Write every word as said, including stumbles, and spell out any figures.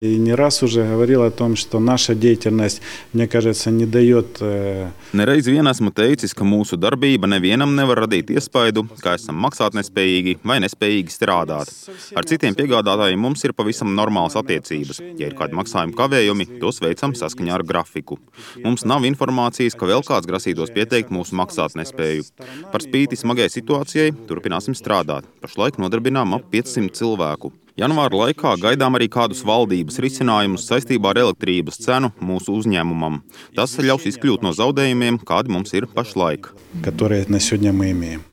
И не раз уже говорил о том, что наша деятельность, мне кажется, не дает... Nereiz vien esmu teicis, ka mūsu darbība nevienam nevar radīt iespaidu, ka esam maksātnespējīgi vai nespējīgi strādāt. Ar citiem piegādātājiem mums ir pavisam normālas attiecības. Ja ir kādi maksājumi kavējumi, tos veicam saskaņā ar grafiku. Mums nav informācijas, ka vēl kāds grasītos pieteikt mūsu maksātnespēju. Par spīti smagai situācijai turpināsim strādāt. Pašlaik nodarbinām ap piecsimt cilvēku. Janvāra laikā gaidām arī kādus valdības risinājumus saistībā ar elektrības cenu mūsu uzņēmumam. Tas ļaus izkļūt no zaudējumiem, kādi mums ir pašlaik. Которые на сегодня мы имеем.